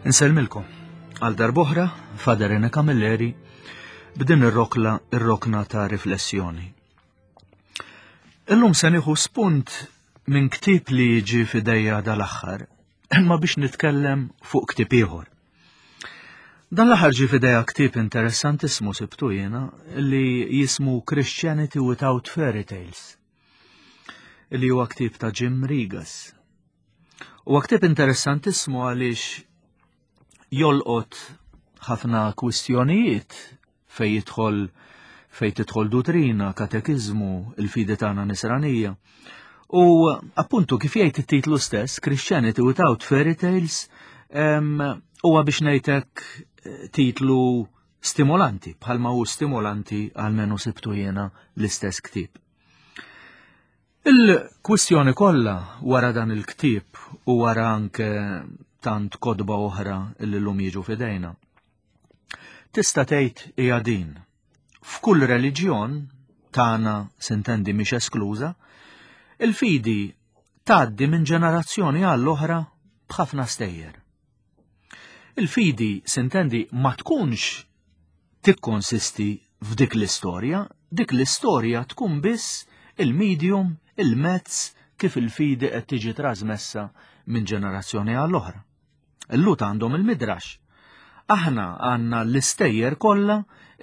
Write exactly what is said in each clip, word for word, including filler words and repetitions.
Insellmilkom għal darb'oħra Father Rene Camilleri b'din ir-rokla ir-rokna ta' riflessjoni. Illum se nieħu spunt minn ktieb li jiġi f'idejja dal-aħħar, imma biex nitkellem fuq ktieb ieħor. Dan l-aħħar ġie f'idejja ktieb interessantissimu sibtu jiena li jismu Christianity Without Fairy Tales, li huwa ktieb ta' Jim Regas. Huwa ktieb interessantissimu għaliex jolqot ħafna kwistjonijiet fej jidħol fej tidħol duttrina, katekiżmu, il-fidi tagħna nisranija. U appuntu kif jgħid it-titlu stess, Christianity Without Fairy Tales, huwa biex ngħidlek eh, titlu stimolanti, bħalma hu stimolanti għalmenu sibtu jiena l-istess ktieb. Il-kwistjoni kollha wara dan il-ktieb u wara anke tant kotba oħra li llum jiġu f'idejna. Tista' tgħid hija din. F'kull reliġjon tagħna sintendi mhix eskluża, il-fidi tgħaddi minn ġenerazzjoni għall-oħra b'ħafna stejjer. Il-fidi sintendi ma tkunx tikkonsisti f'dik l-istorja, dik l-istorja tkun biss il-medium, il-mezz kif il-fidi qed tiġi trasmessa minn ġenerazzjoni għall-oħra. Il-Lhud għandhom il-midrax. Aħna għandna l-istejjer kollha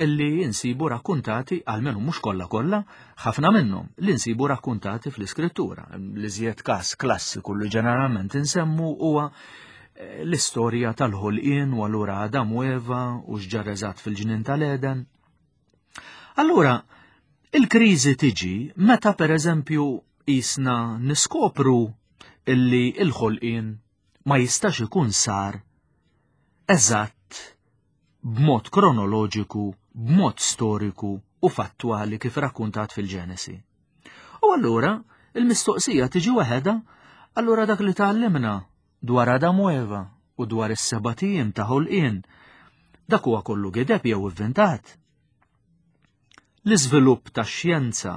illi insibu rakkuntati, għalmenu mhux kollha kollha, ħafna minnhom li nsibu rakkuntati fl-iskrittura. L-iżjed każ klassiku li ġeneralment insemmu huwa eh, l-istorja tal-ħolqien u allura Adam u Eva u x'ġara eżatt fil-ġnien tal-Eden. Allura, il-kriżi tiġi meta per eżempju jisna niskopru illi il-ħolqien ma jistax ikun sar eżatt b'mod kronoloġiku, b'mod storiku u fattwali kif rakkuntat fil-Ġenesi. U allura il-mistoqsija tiġi waħedha, allura dak li tgħallimna dwar Adam u Eva u dwar is-sebat ijiem ta' ħolqien, dak huwa kollu gideb jew ivvintat. L-iżvilupp tax-xjenza,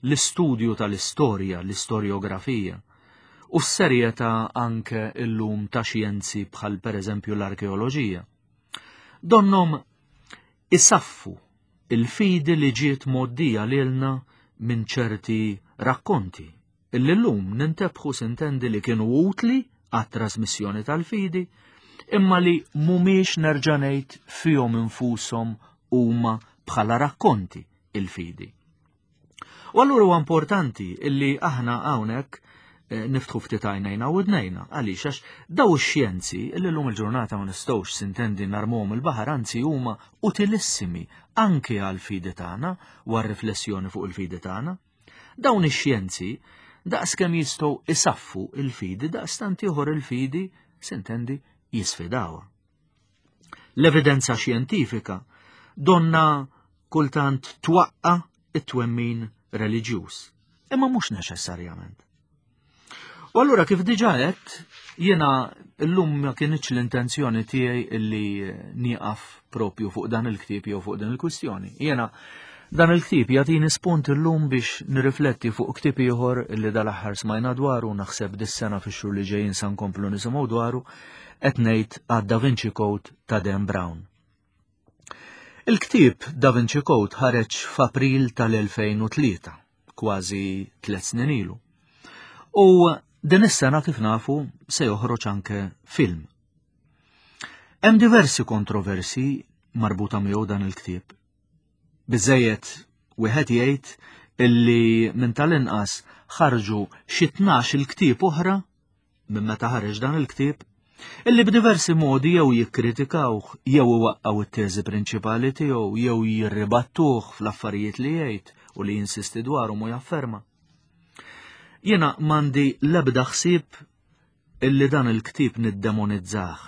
l-istudju tal-istorja, l-istorjografija, u s-serjetà anke illum ta' xjenzi bħal pereżempju l-arkeoloġija. Donnom isaffu il-fidi li ġiet mgħoddija lilna minn ċerti rakkonti illi llum nintebħu sintendi li kienu utli għat-trasmissjoni tal-fidi, imma li mhumiex nerġa' ngħid fihom infushom huma bħala rakkonti il-fidi. U allura huwa importanti illi aħna hawnhekk eh, niftħu ftit għajnejna u widnejna għaliex għax daw ix-xjenzi illi llum il-ġurnata ma nistgħux sintendi narmuhom il-baħar, anzi huma utilissimi anke għall-fidi tagħna u għar-riflessjoni fuq il-fidi tagħna. Dawn ix-xjenzi daqskemm jistgħu isaffu il-fidi, daqstant ieħor il-fidi sintendi jisfidawha. L-evidenza xjentifika donna kultant twaqqa it-twemmin reliġjuż, imma mhux neċessarjament. U allura kif diġà għedt, jiena llum ma kienx l-intenzjoni tiegħi illi nieqaf propju fuq dan il-ktieb jew fuq din il-kwistjoni. Jiena dan il-ktieb jagħtini spunt illum biex nirrifletti fuq ktieb ieħor illi dal-aħħar smajna dwaru, naħseb dis-sena fix-xhur li ġejjin sa nkomplu nisimgħu dwaru, qed ngħid għad Da Vinci Code ta' Dan Brown. Il-ktieb Da Vinci Code ħareġ f'April tal-elfejn u tlieta, kważi tliet snin ilu. U din is-sena kif nafu se joħroġ anke film. Hemm diversi kontroversi marbuta miegħu dan il-ktieb. Biżejjed wieħed jgħid illi minn tal-inqas ħarġu xi tnax il-ktieb oħra minn meta ħareġ dan il-ktieb, illi b'diversi modi jew jikkritikawh, jew iwaqqgħu it-teżi prinċipali tiegħu, jew jirribattuh fl-affarijiet li jgħid u li jinsisti dwarhom u jafferma. Jiena m'għandi l-ebda ħsieb illi dan il-ktieb niddemonizzah.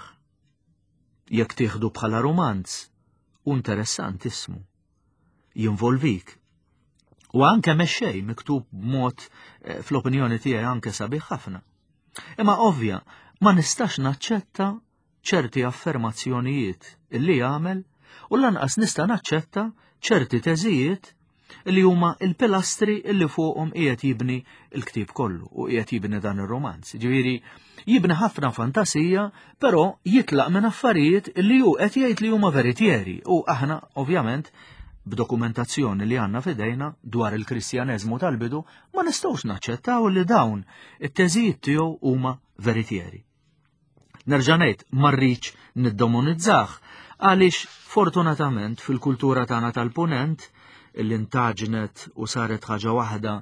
Jekk tieħdu bħala romanz, u interessant ismu, jinvolvik. U anke mexxej miktub b'mod, eh, fl-opinjoni tiegħi anke sabiħ ħafna. Imma ovvja, ma nistax naċċetta ċerti affermazzjonijiet illi jagħmel u lanqas nista' naċċetta ċerti teżijiet li huma il-pilastri illi fuqhom qiegħed jibni l-ktieb kollu u qiegħed jibni dan ir-romanz. Ġifieri jibni ħafna fantasija, però jitlaq minn affarijiet li hu qed jgħid li huma veritieri u aħna ovvjament b'dokumentazzjoni li għandna f'idejna dwar il-Kristjaneżmu tal-bidu ma nistgħux naċċettaw li dawn it-teżijiet tiegħu huma veritieri. Nerġa' ngħid ma rridx niddomonizzah għaliex fortunatament fil-kultura tagħna tal-Punent illi ntaġnet u saret ħaġa waħda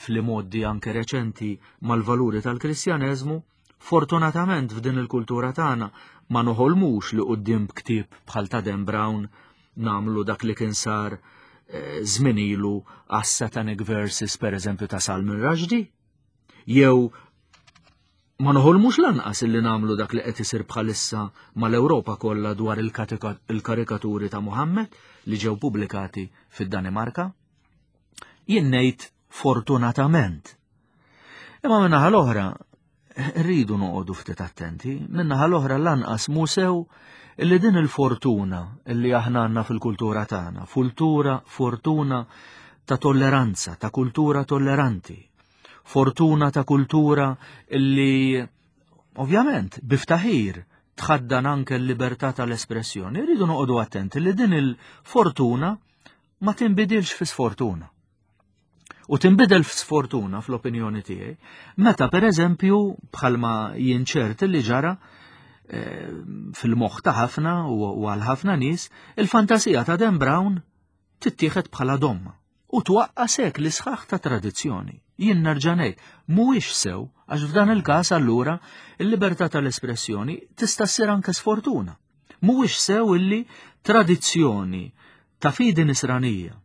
fl-modi anke reċenti mal-valuri tal-Kristjaneżmu, fortunatament f'din il-kultura tagħna ma noħolmux li quddiem ktieb bħal ta' Dan Brown namlu dak li kien sar żmien ilu għas-Satanic Verses per eżempju ta' Salman Rushdie, jew ma noħolmux lanqas illi namlu dak li qed isir bħalissa mal-Ewropa kollha dwar il-karikaturi ta' Muhammad li ġew pubblikati fid-Danimarka. Jien ngħid fortunatament. Imma min-naħa l-oħra rridu noqogħdu ftit attenti, min-naħa l-oħra lanqas mhu sew illi din il-fortuna illi aħna għandna fil-kultura tagħna, fultura, fortuna ta' tolleranza, ta' kultura tolleranti, fortuna ta' kultura illi ovvjament biftaħir tħaddan anke l-libertà tal-espressjoni, rridu noqogħdu attenti li din il-fortuna ma tinbidilx fi sfortuna. U tinbidel f'sfortuna fl-opinjoni tiegħi meta pereżempju bħalma jien ċert li ġara fil-moħħ ta' ħafna u għal ħafna nies, il-fantasija ta' Dan Brown tittieħed bħala domma u twaqqa' sekli sħaħ ta' tradizzjoni. Jien nerġa' ngħid, mhuwiex sew għax f'dan il-każ allura il-libertà tal-espressjoni tista' ssir anke sfortuna. Mhuwiex sew illi tradizzjoni ta' fidi nisranija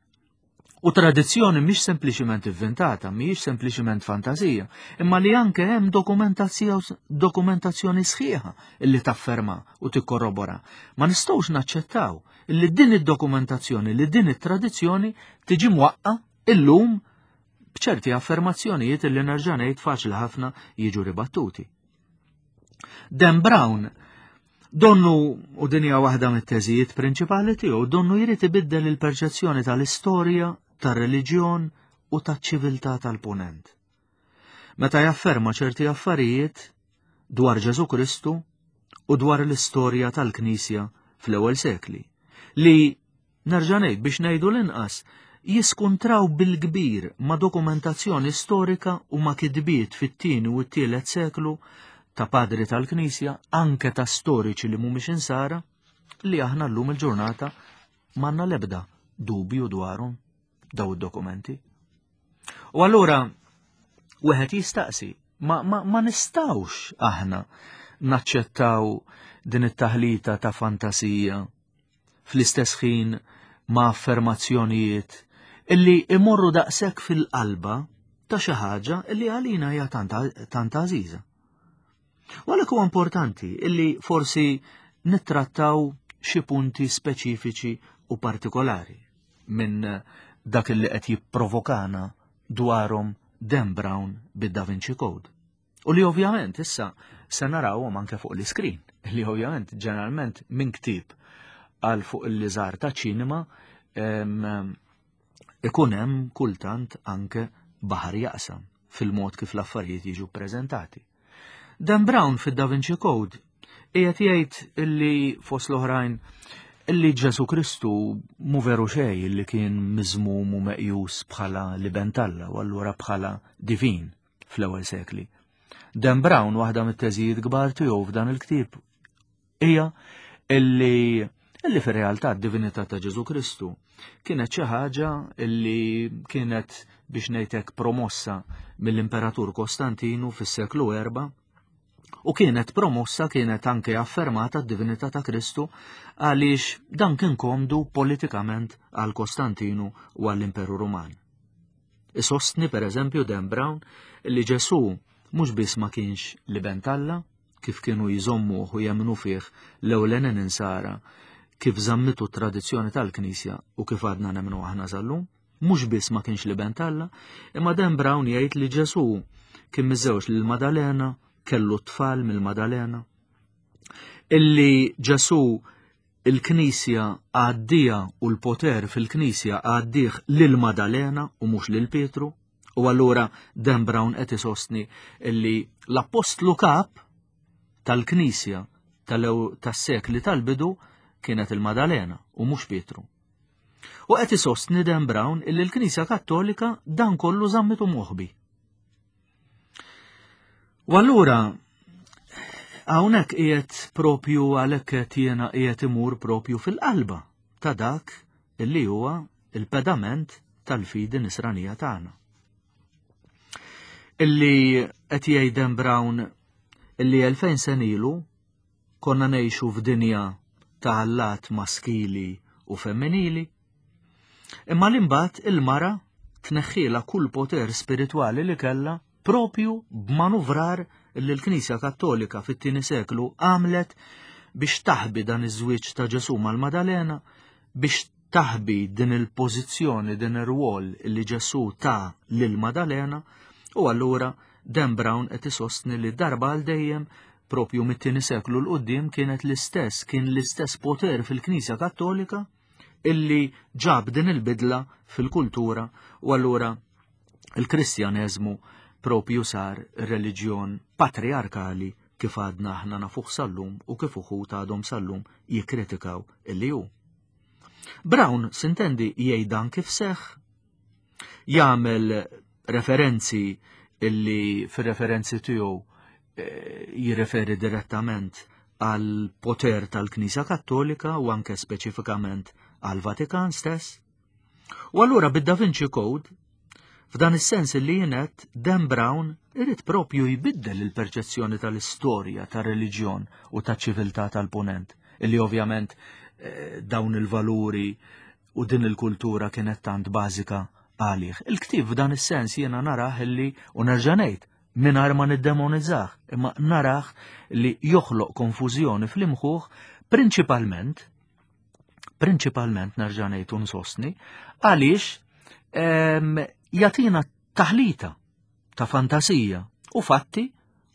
u tradizzjoni mhix sempliċiment inventata, mhijiex sempliċiment fantasija, imma li anke hemm dokumentazzjoni sħiħa illi tafferma u tikkorrobora. Ma nistgħux naċċettaw illi din id-dokumentazzjoni, li din it-tradizzjoni tiġi mwaqqa illum b'ċerti affermazzjonijiet illi nerġa' ngħid faċli ħafna jiġu ribattuti. Dan Brown donnu, u din hija waħda mit-teżijiet prinċipali tiegħu, donnu jrid ibiddel il-perċezzjoni tal-istorja, tar-reliġjon u taċ-ċiviltà tal-Punent. Meta jafferma ċerti affarijiet dwar Ġesù Kristu u dwar l-istorja tal-Knisja fl-ewwel sekli, li nerġa' ngħid biex ngħidu l-inqas jiskuntraw bil-kbir ma' dokumentazzjoni storika u ma' kitbiet fit-tieni u t-tielet seklu ta' padri tal-Knisja, anke ta' storiċi li mhumiex insara, li aħna llum il-ġurnata m'għandna l-ebda dubju dwarhom daw id-dokumenti. U allura wieħed jistaqsi, ma, ma, ma nistgħux aħna naċċettaw din it-taħlita ta' fantasija fl-istess ħin ma' affermazzjonijiet illi imorru daqshekk fil-qalba ta' xi ħaġa illi għalina hija tant għażiża. U għalhekk huwa importanti illi forsi nittrattaw xi punti speċifiċi u partikolari minn dak illi qed jipprovokana dwarhom Dan Brown bid-Da Vinci Code. U li ovvjament issa se narawhom anke fuq l-iskrin, li ovvjament ġeneralment minn ktieb għal fuq il-liżar ta' ċinema ikun hemm kultant anke baħar jaqsam fil-mod kif l-affarijiet jiġu ppreżentati. Dan Brown fid-Da Vinci Code qiegħed jgħid illi fost l-oħrajn illi Ġesù Kristu mu veru xejn illi kien miżmum u meqjus bħala l-iben t'Alla u allura bħala divin fl-ewwel sekli. Dan Brown waħda mit-teżijiet kbar tiegħu f'dan il-ktieb hija illi illi fir-realtà d-divinità ta' Ġesù Kristu kienet xi ħaġa illi kienet biex ngħidlek promossa mill-Imperatur Kostantinu fis-seklu erba' u kienet promossa, kienet anke affermata d-divinità ta' Kristu għaliex dan kien komdu politikament għal Kostantinu u għall-Imperu Ruman. Isostni per eżempju Dan Brown li Ġesù mhux biss ma kienx l-iben t'Alla, kif kienu jżommuh u jemmnu fih l-ewlenin insara, kif żammitu t-tradizzjoni tal-Knisja u kif għadna nemmnu aħna sal-lum, mhux biss ma kienx l-iben t'Alla, imma Dan Brown jgħid li Ġesù kien miżewġ lil Madalena, kellu tfal mill-Madalena, illi Ġesù il-Knisja għaddija u l-poter fil-Knisja għaddih lil Madalena u mhux lil Pietru, u allura Dan Brown qed isostni illi l-apostlu kap tal-Knisja tas-sekli tal-bidu kienet il-Madalena u mhux Pietru. U qed isostni Dan Brown illi l-Knisja Kattolika dan kollu żammitu moħbi. U allura hawnhekk qiegħed propju għalhekk qed jiena qiegħed imur propju fil-qalba ta' dak illi huwa il-pedament tal-fidi nisranija tagħna. Illi qed jgħid Dan Brown illi elfejn sena ilu konna ngħixu f'dinja ta' allat maskili u femminili, imma l-imbagħad il-mara tneħħiela kull poter spiritwali li kellha propju b'manuvrar li l-Knisja Kattolika fit-tieni seklu għamlet biex taħbi dan iż-żwieġ ta' Ġesù mal-Madalena, biex taħbi din il-pożizzjoni, din ir-rwol li Ġesù ta lil Madalena, u allura Dan Brown qed isostni li darba għal dejjem propju mit-tieni seklu l quddiem kienet l-istess, kien l-istess poter fil-Knisja Kattolika illi ġab din il-bidla fil-kultura, u allura il-Kristjaneżmu propju sar reliġjon patriarkali kif għadna aħna nafuh sal-lum u kif uħud għadhom sal-lum jikkritikaw illi hu. Brown sintendi jgħid dan kif seħħ, jagħmel referenzi illi fir-referenzi tiegħu jirreferi direttament għal poter tal-Knisja Kattolika u anke speċifikament għal Vatikan stess. U allura bid-Da Vinci Code, f'dan is-sens li jienet Dan Brown irid propju jbiddel il-perċezzjoni tal-istorja, tar-reliġjon u taċ-ċiviltà tal-punent, illi ovvjament eh, dawn il-valuri u din il-kultura kienet tant bażika għalih. Il-ktieb f'dan is-sens jiena narah illi, u nerġa' ngħid, mingħajr ma niddemonizzah, imma narah li joħloq konfużjoni fl-imħuħ prinċipalment, prinċipalment nerġa' ngħid u nsostni, għaliex jagħtina taħlita ta' fantasija u fatti,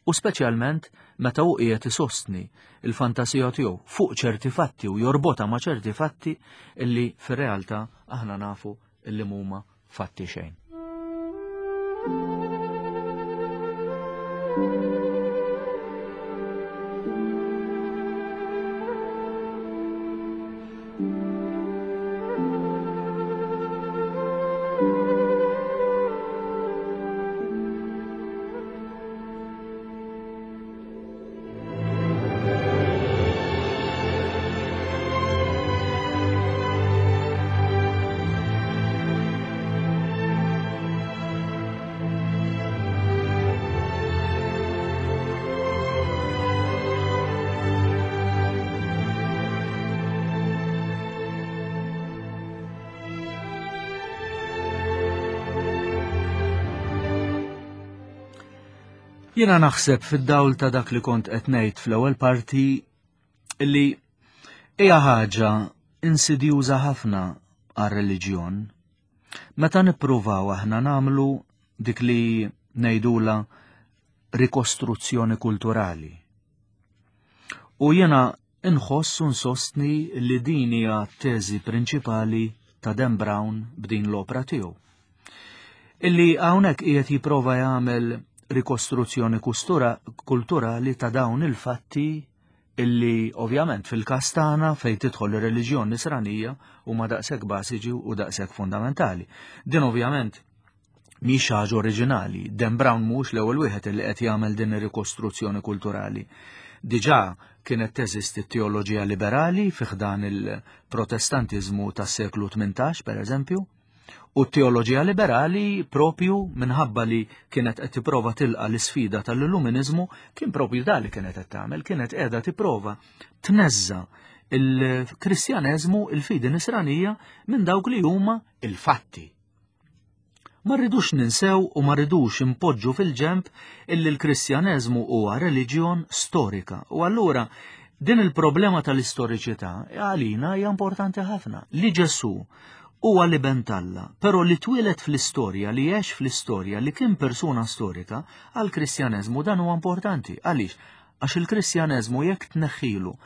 u speċjalment meta hu qiegħed isostni il-fantasija tiegħu fuq ċerti fatti u jorbotha ma' ċerti fatti illi fir-realtà aħna nafu illi mhuma fatti xejn. Jiena naħseb fid-dawl ta' dak li kont qed ngħid fl-ewwel parti illi hija ħaġa insidjuża ħafna għar-reliġjon meta nippruvaw aħna nagħmlu dik li ngħidula rikostruzzjoni kulturali. U jiena inħoss u nsostni li din hija t-teżi prinċipali ta' Dan Brown b'din l-opra tiegħu. Illi hawnhekk qiegħed jipprova jagħmel rikostruzzjoni kulturali ta' dawn il-fatti illi ovvjament fil-każ tagħna fejn tidħol ir-reliġjon nisranija huma daqshekk bażiċi u daqshekk fundamentali. Din ovvjament mhix ħaġa oriġinali. Dan Brown mhux l-ewwel wieħed illi qed jagħmel din ir-rikostruzzjoni kulturali. Diġà kienet teżisti t-teoloġija liberali fi ħdan il-Protestantiżmu tas-seklu tmintax, per eżempju, u t-teoloġija liberali propju minħabba li kienet qed tipprova tilqa l-isfida tal-Illuminizmu kien propju dan li kienet qed tagħmel, kienet qiegħda tipprova tneżża il-Kristjaneżmu, il-fidi nisranija minn dawk li huma il-fatti. Ma rridux ninsew u ma rridux impoġġu fil-ġemp illi l-Kristjaneżmu huwa reliġjon storika. U allura din il-problema tal-istoriċità għalina hija importanti ħafna. Li Ġesù huwa li ben t'Alla, però li twieled fl-istorja, li għex fl-istorja, li kien persuna storika, għall-Kristjaneżmu dan huwa importanti. Għaliex? Għax il-Kristjaneżmu jekk tneħħilu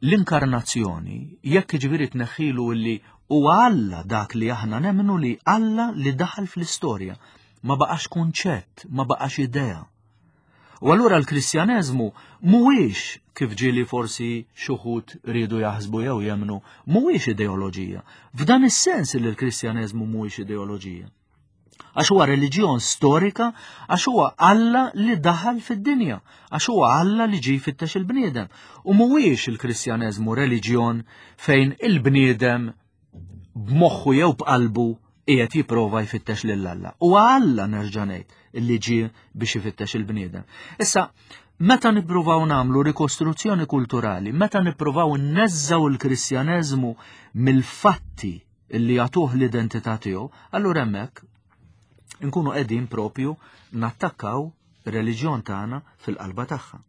L-inkarnazzjoni, jekk ġifieri tneħħilu li huwa Alla dak li aħna nemmnu li Alla li daħal fl-istorja, ma baqax kunċett, ma baqax idea. U allura l-Kristjaneżmu mhuwiex, kif ġieli forsi xi wħud riedu jaħsbu jew jemmnu, mhuwiex ideoloġija. F'dan is-sens li l-Kristjaneżmu mhuwiex ideoloġija. Għax huwa reliġjon storika, għax huwa Alla li daħal fid-dinja, għax huwa Alla li ġie jfittex il-bniedem. U mhuwiex il-Kristjaneżmu reliġjon fejn il-bniedem b'moħħu jew b'qalbu qiegħed jipprova jfittex lil Alla. U Alla, nerġa' ngħid, illi ġie biex ifittex il-bniedem. Issa, meta nippruvaw nagħmlu rikostruzzjoni kulturali, meta nippruvaw nneżżgħu il-Kristjaneżmu mill-fatti illi jagħtuh l-identità tiegħu, allura hemmhekk nkunu qegħdin propju nattakkaw ir-reliġjon tagħna fil-qalba tagħha.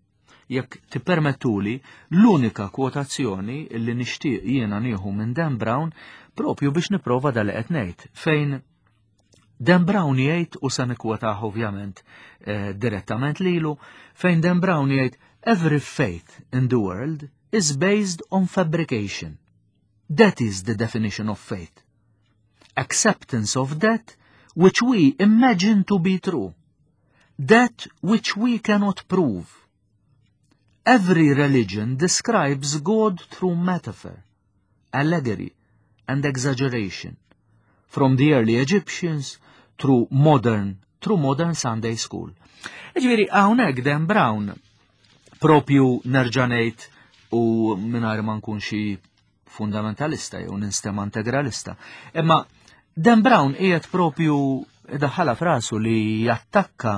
Jekk tippermettuli, l-unika kwotazzjoni illi nixtieq jiena nieħu minn Dan Brown propju biex nipprova dal qed ngħid, fejn Dan Brown jgħid, u sa nikkwotah ovvjament eh, direttament lilu, fejn Dan Brown jgħid: "Every faith in the world is based on fabrication. That is the definition of faith. Acceptance of that which we imagine to be true. That which we cannot prove. Every religion describes God through metaphor, allegory, and exaggeration, from the early Egyptians through modern, through modern Sunday school." Ġifieri, hawnhekk Dan Brown, propju nerġa' ngħid u mingħajr ma nkun xi fundamentalista jew ninstema integralista, imma Dan Brown qiegħed propju daħħalha f'rasu li jattakka.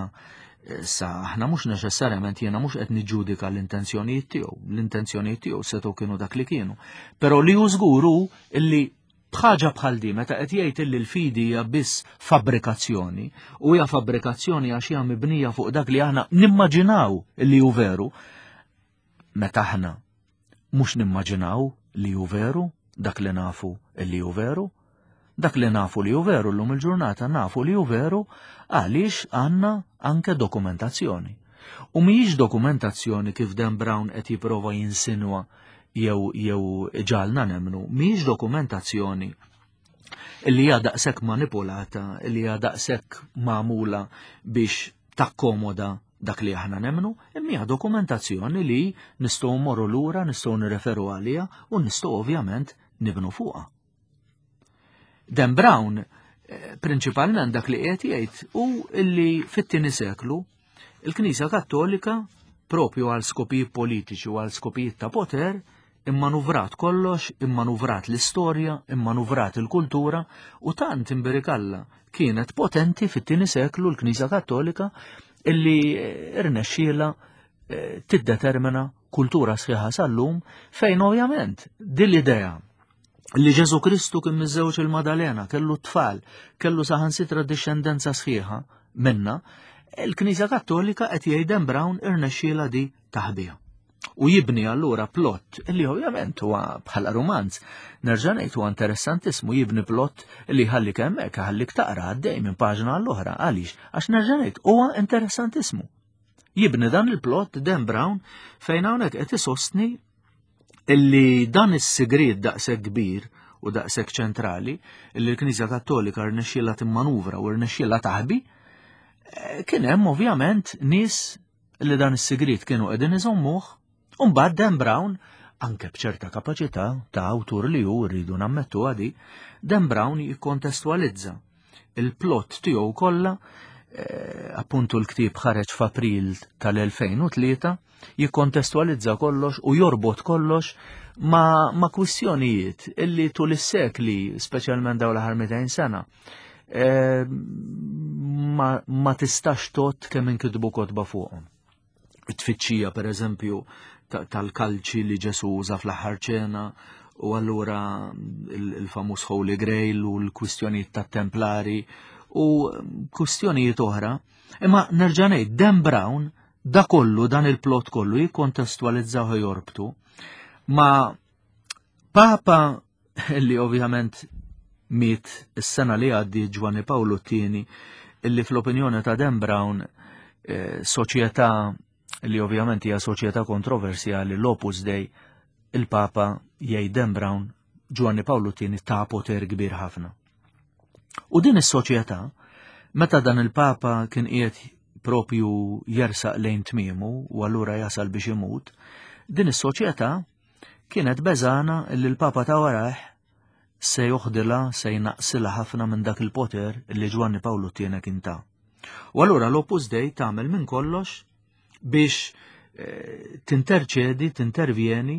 Sa aħna mhux neċessarjament, jiena mhux qed niġġudika l-intenzjonijiet tiegħu, l-intenzjonijiet tiegħu setgħu kienu dak li kienu. Però li hu żgur hu illi bħaġa bħal di, meta qed jgħid illi l-fidi hija biss fabbrikazzjoni, u hija fabbrikazzjoni għax hija mibnija fuq dak li aħna nimmaġinaw illi hu veru, meta aħna mhux nimmaġinaw li hu veru dak li nafu illi hu veru, dak li nafu li hu veru llum il-ġurnata nafu li hu veru għaliex għandna anke dokumentazzjoni. U mhijiex dokumentazzjoni kif Dan Brown qed jipprova jinsinwa jew jew ġagħalna nemmnu, mhijiex dokumentazzjoni illi hija daqshekk manipulata, illi hija daqshekk magħmula biex takkomoda dak li aħna nemmnu, imma hija dokumentazzjoni li nistgħu mmorru lura, nistgħu nirreferu għaliha u nistgħu ovvjament nibnu fuqha. Dan Brown eh, prinċipalment dak li qiegħed jgħid hu illi fit-tieni seklu il-Knisja Kattolika, propju għal skopijiet politiċi u għal skopijiet ta' poter, immanuvrat kollox, immanuvrat l-istorja, immanuvrat il-kultura, u tant imbirikalla kienet potenti fit-tieni seklu l-Knisja Kattolika illi eh, irnexxiela eh, tiddetermina kultura sħiħa sal-lum, fejn ovvjament din l-idea li Ġesu Kristu kien miżżewġ il-Madalena, kellu tfal, kellu saħansitra discendenza sħiħa minna, il-Knisja Kattolika, qed jgħid Dan Brown, irnexxiela di taħbija. U jibni allura plot illi ovvjament huwa bħala romanz. Nerġa' ngħid, huwa interessantissimu, jibni plot illi ħallik hemmhekk, ħallik taqra għaddej minn paġna għall-oħra. Għaliex? Għax nerġa' ngħid, huwa interessantissimu. Jibni dan il-plot Dan Brown fejn hawnhekk qed isostni illi dan is-sigriet daqshekk kbir u daqshekk ċentrali illi l-Knisja Kattolika rnexxiela timmanuvra u rnexxiela taħbi, eh, kien hemm ovvjament nies li dan is-sigriet kienu qegħdin iżommuh, u mbagħad Dan Brown, anke b'ċerta kapaċità ta' awtur li hu, rridu nammettu għadi, Dan Brown jikkontestualizza il-plot tiegħu kollha, eh, appuntu l-ktieb ħareġ f'April tal-elfejn u tlieta, jikkontestualizza kollox u jorbot kollox ma, ma kwistjonijiet illi tul is-sekli, speċjalment dawn l-aħħar mitejn sena, eh, ma, ma tistax tgħodd kemm inkitbu kotba fuqhom. It-tfittxija, per eżempju, tal-kalċi li Ġesu uża fl-aħħar ċena, u allura il-famuż Holy Grail u l-kwistjonijiet tat-Templari u kwistjonijiet oħra. Imma nerġa' ngħid, Dan Brown da kollu, dan il-plot kollu jikkontestualizzaw, jorbtu ma Papa li ovvjament miet is-sena li għaddi, Ġwanni Pawlu t-tieni, illi fl-opinjoni ta' Dan Brown, eh, soċjetà li ovvjament hija soċjetà kontroversjali, l-Opus Dei, Il-Papa, jgħid Dan Brown, Ġwanni Pawlu t-tieni ta poter kbir ħafna. U din is-soċjetà, meta dan il-Papa kien qiegħed propju jersaq lejn tmiemu u allura jasal biex imut, din is-soċjetà kienet beżana li l-Papa ta' warajh se joħdilha, se jnaqsilha ħafna minn dak il-poter li Ġwanni Pawlu t-tieni kien ta. U allura l-Opus Dei tagħmel minn kollox biex eh, tinterċedi, tintervjeni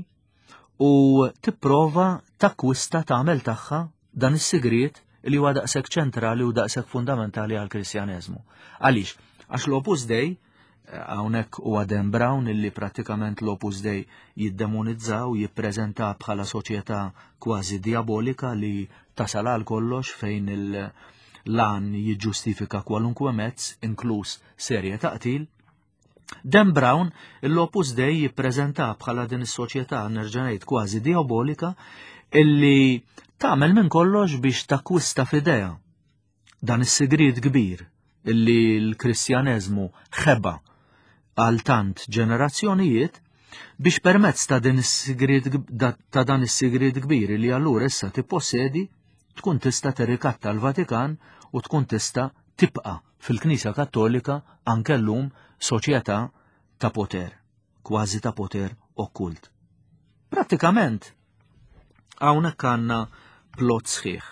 u tipprova takkwista, tagħmel tagħha dan is-sigriet li huwa daqshekk ċentrali u daqshekk fundamentali għall-Kristjaneżmu. Għaliex? Għax l-Opus Dei, eh, hawnhekk huwa Dan Brown illi prattikament l-Opus Dei jiddemonizza u jippreżenta bħala soċjetà kważi diabolika li tasal għal kollox, fejn il-għan jiġġustifika kwalunkwe mezz, inkluż serje ta' qtil. Dan Brown l-Opus Dei jippreżenta bħala din is-soċjetà, nerġa' ngħid, kważi diabolika illi tagħmel minn kollox biex takkwista f'idejha dan is-sigriet kbir illi l-Kristjaneżmu ħeba għal tant ġenerazzjonijiet, biex permezz ta' din is-sigriet ta' dan is-sigriet kbir li allura issa tippossedi tkun tista' tirrikatta l-Vatikan u tkun tista' tibqa' fil-Knisja Kattolika anke llum soċjetà ta' poter, kważi ta' poter okkult. Prattikament hawnhekk għandna plot sħiħ.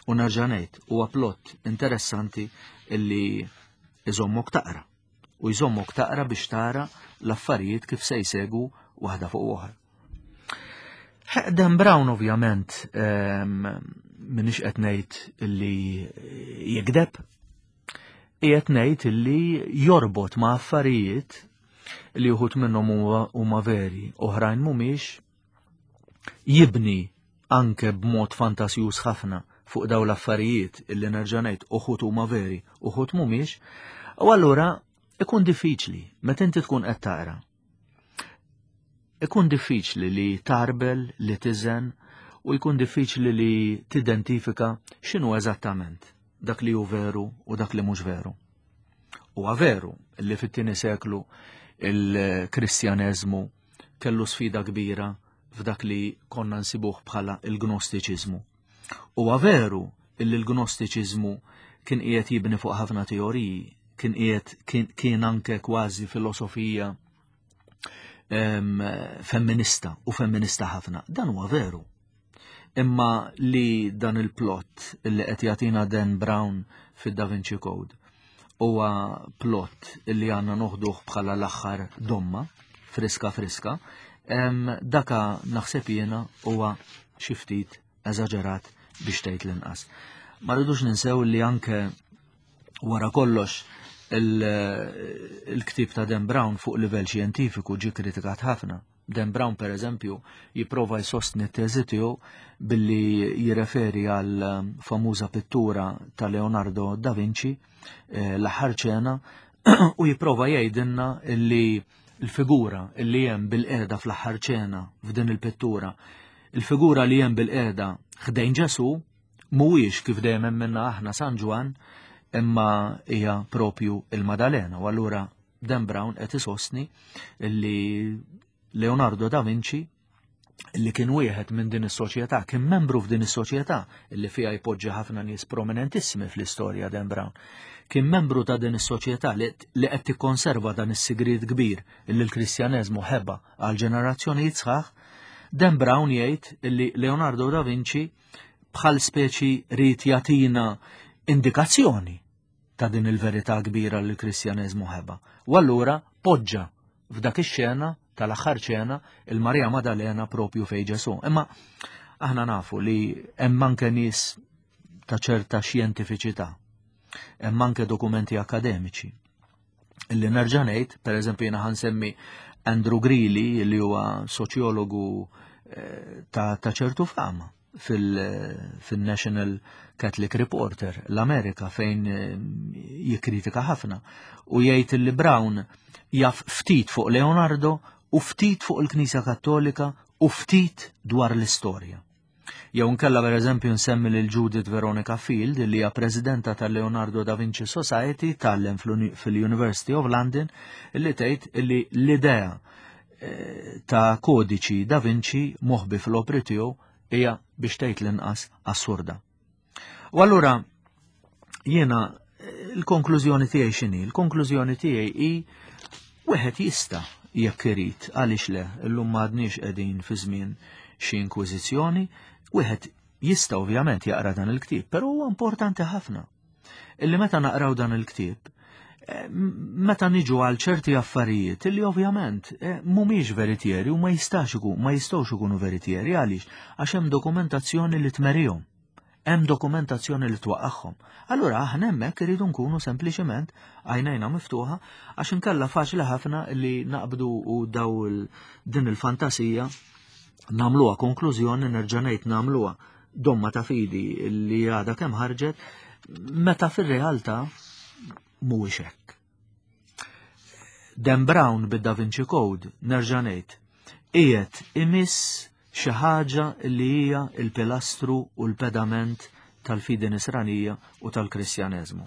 U nerġa' ngħid, huwa plot interessanti illi iżommok taqra. U jżommok taqra biex tara l-affarijiet kif se jsegu waħda fuq oħra. Dan Brown ovvjament m'iniex qed ngħid illi jikdeb, qiegħed ngħid illi jorbot ma' affarijiet li uħud minnhom huma veri, oħrajn mhumiex, jibni anke b'mod fantasjuż ħafna fuq daw l-affarijiet illi, nerġa' ngħid, uħud huma veri, uħud mhumiex, u allura ikun diffiċli meta inti tkun qed taqra. Ikun diffiċli li tarbel, li tiżen, u jkun diffiċli li tidentifika x'inhu eżattament dak li hu veru u dak li mhux veru. Huwa veru li fit-tieni seklu il-Kristjaneżmu kellu sfida kbira f'dak li konna nsibuh bħala il-Gnostiċiżmu. Huwa veru illi l-Gnostiċiżmu kien qiegħed jibni fuq ħafna teoriji, kien qiegħed kien, kien anke kważi filosofija em, femminista u femminista ħafna. Dan huwa veru. Imma li dan il-plot illi qed jagħtina Dan Brown fid-Da Vinci Code huwa plot illi għandna noħduh bħala l-aħħar domma, friska friska, em, daka naħseb jiena huwa xi ftit eżaġerat biex tgħid l-inqas. Ma rridux ninsew li anke wara kollox il-ktieb ta' Dan Brown fuq livell xjentifiku ġi kritikat ħafna. Dan Brown, per eżempju, jipprova jsostni t-teżi tiegħu billi jirreferi għal famuża pittura ta' Leonardo da Vinci, eh, l-aħħar ċena, u jipprova jgħidilna illi l-figura illi hemm bil-qeda fl-aħħar ċena f'din il-pittura, il-figura li hemm bil-qeda ħdejn Ġesu, mhuwiex kif dejjem minna aħna San Ġwan, imma hija propju il-Madalena. U allura Dan Brown qed isostni illi Leonardo da Vinci, li kien wieħed minn din is-soċjetà, kien membru f'din is-soċjetà illi fiha jpoġġi ħafna nies prominentissimi fl-istorja Dan Brown. Kien membru ta' din is-soċjetà li qed tikkonserva dan is-sigriet kbir illi l-Kristjaneżmu ħeba għal ġenerazzjonijiet sħaħ. Dan Brown jgħid illi Leonardo da Vinci bħal speċi ried jagħtina indikazzjoni ta' din il-verità kbira li l-Kristjaneżmu ħeba. U allura poġġa f'dak ix-xena tal-aħħar ċena il-Marija Madalena propju fej Ġesu. Imma aħna nafu li hemm anke nies ta' ċerta xjentifiċità, hemm anke dokumenti akademiċi. Illi nerġa' ngħid, pereżempju, jiena ħansemmi Andrew Greeley, li huwa soċjologu eh, ta' ċertu fama fil-National Catholic Reporter, l-Amerika, fejn eh, jikkritika ħafna u jgħid li Brown jaf ftit fuq Leonardo u ftit fuq il-Knisja Kattolika u ftit dwar l-istorja. Jew nkella, per eżempju, nsemmi lil Judith Veronica Field, li hija presidenta tal-Leonardo da Vinci Society, tgħallem fil-University of London, li tgħid li l-idea eh, ta' kodiċi Da Vinci moħbi fl-opri tiegħu hija biex tgħid l-inqas assurda. U allura jiena eh, il-konklużjoni tiegħi x'inhi? Il-konklużjoni tiegħi hi wieħed jista' jekk irid, għaliex le, illum m'għadniex qegħdin fi żmien xi inkwiżizzjoni, wieħed jista' ovvjament jaqra dan il-ktieb, però huwa importanti ħafna illi meta naqraw dan il-ktieb, eh, meta niġu għal ċerti affarijiet illi ovvjament eh, mhumiex veritieri u ma jistax ikun, ma jistgħux ikunu veritieri għaliex għax hemm dokumentazzjoni li tmerihom. Hemm dokumentazzjoni li twaqqagħhom. Allura aħna hemmhekk iridu nkunu sempliċement għajnejna miftuħa għax inkella faċli ħafna li naqbdu u daw din il-fantasija nagħmluha konklużjoni, nerġa' ngħid nagħmluha domma ta' fidi li għadha kemm ħarġet, meta fir-realtà mhuwiex hekk. Dan Brown bid-Da Vinci Code, nerġa' ngħid, qiegħed imiss xi ħaġa li hija l-pilastru u l-pedament tal-fidi nisranija u tal-Kristjaneżmu.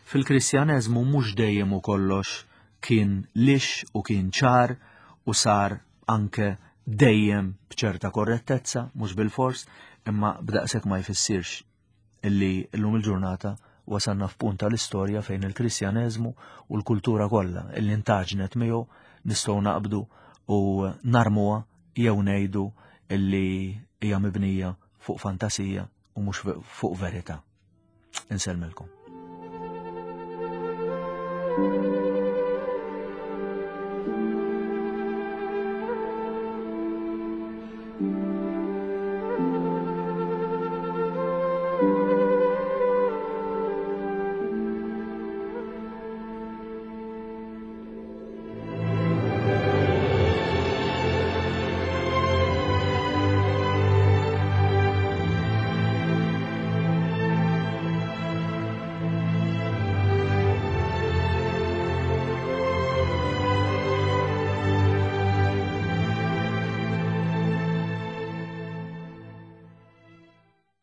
Fil-Kristjaneżmu mhux dejjem u kollox kien lix u kien ċar u sar anke dejjem b'ċerta korrettezza, mhux bil-fors, imma b'daqshekk ma jfissirx illi llum il-ġurnata wasalna f'punt tal-istorja fejn il-Kristjaneżmu u l-kultura kollha illi ntaġnet miegħu nistgħu naqbdu u narmuha jew ngħidu illi hija mibnija fuq fantasija u mhux fuq verità. Insellmilkom. Thank you.